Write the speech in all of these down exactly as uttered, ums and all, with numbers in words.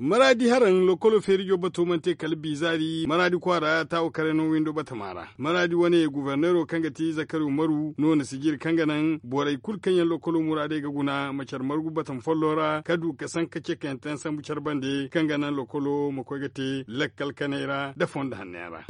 Maraadi haraŋ lokkolo feerijo bato mana te kala bizaari maraadi kwaara taawo kare no windo batama ra. Maraadi wane guverneero kaŋ ga ti zakari umaru no na sijiri kaŋ ga naŋ borey kulu kaŋ yaŋ lokkolo muraadey ga guna ma care margu batama follo ra ka du ka sanka cekayanteyaŋ sambu care bande kaŋ ga naŋ lokkolo ma koy ga te lakkal kaney ra nda fondo hanno yaŋ ra.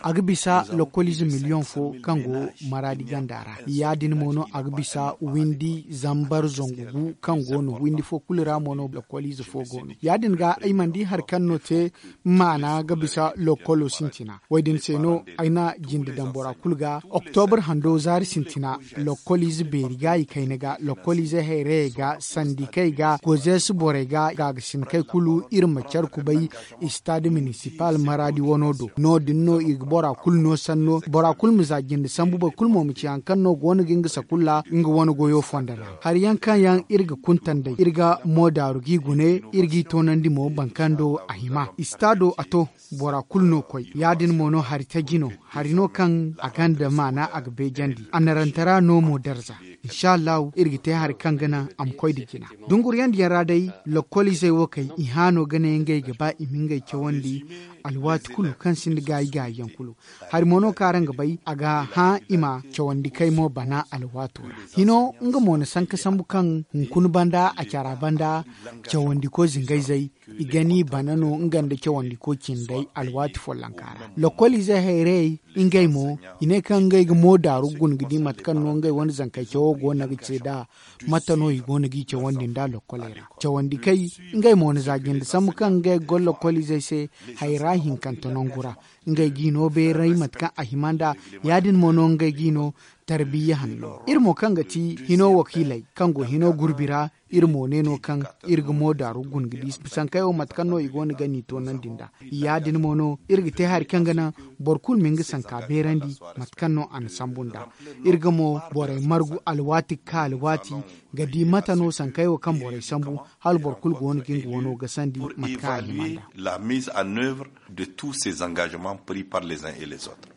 A ga bisa lokkoliize miliyoŋ fo kaŋ go maraadi ganda ra. Ya- din mo no a ga bisa windi zambar zangu gu kaŋ go no windi fo kulu ra mo no lokkoliize fo go no. Ya- din ga ay mana di hari kaŋ no te maana ga bisa lokkolo sintina wo- din se no ay na jinde daŋ bora kulu ga oktobre hando zaari sintina. Lokkoliize beeri gaayi kayna ga lokkoliizey hayrayey ga sandikey ga gozeesi borey ga gaagasinkey kulu iri ma care kubay. Istaad minisipal maraadi wano do no- din no i ga bora kulu no sanno bora kulu ma za jinde sambu boro kulu mo ma ci hari kaŋ no go no ga nga sakulla nga wane goyo fondo ra. Hari yaŋ kaŋ yaŋ iri ga kuntanday iri ga mo daaru g'i gune iri g'i toonandi mo boro kaŋ do a hima istaado a to. Bora kulu no koy ya- din mo no hari taji no. Hari no kaŋ a gonda maana a ga beejandi a narantara no mo darza. Insa allahu iri ga te hari kaŋ ga naŋ a ma koy nda jina. Dunguriyandiyaŋ ra day lokkoliizey wo kay i hã no ga ne ngey ga ba i ma ngey cawandi alwaati kulu kaŋ sinda gaayi gaayiyaŋ kulu. Hari mo no kaŋ araŋ ga bay a ga hã i ma cawandi kay mo bana alwaato ra. Hino nga mo na sanka sambu kaŋ hunkuna banda a cara banda cawandiko zingayzey i gani bana no nga nda cawandiko cindey alwaati follonka ra. Lokkoliizey hayrayey ngey mo i ne kaŋ ngey ga mo daaru guna ga di mate kaŋ no ngey wane zankey cawo go no ga ce nd'a. Mate no i go no g'i cawandi nd'a lokkoley ra cawandi kay ngey mo na za jinde sambu kaŋ ngey ga goro lokkolizey se. Hayra hinkante nangu ra ngey g'i no beeray mate kaŋ a hima nd'a. Ya- din mo no ngey g'i no tarbiya hanno iri mo kaŋ ga ti hino wakiiley kaŋ go hino gurbi ra. Iri mo ne no kaŋ iri ga mo daaru guna ga di sankey wo mate kaŋ no i go no ga n'i toonandi nd'a. Ya- din mo no iri ga te hari kaŋ ga naŋ boro kulu ma nga sanka beerandi mate kaŋ no a na sambu nd'a. Iri ga mo borey margu alwaati ga ka alwaati ga di mate no sankey wo kaŋ borey sambu hala boro kulu go no ga nga wano gasandi mate kaŋ a hima nd'a. La mise en œuvre de tous ces engagements pris par les uns et les autres.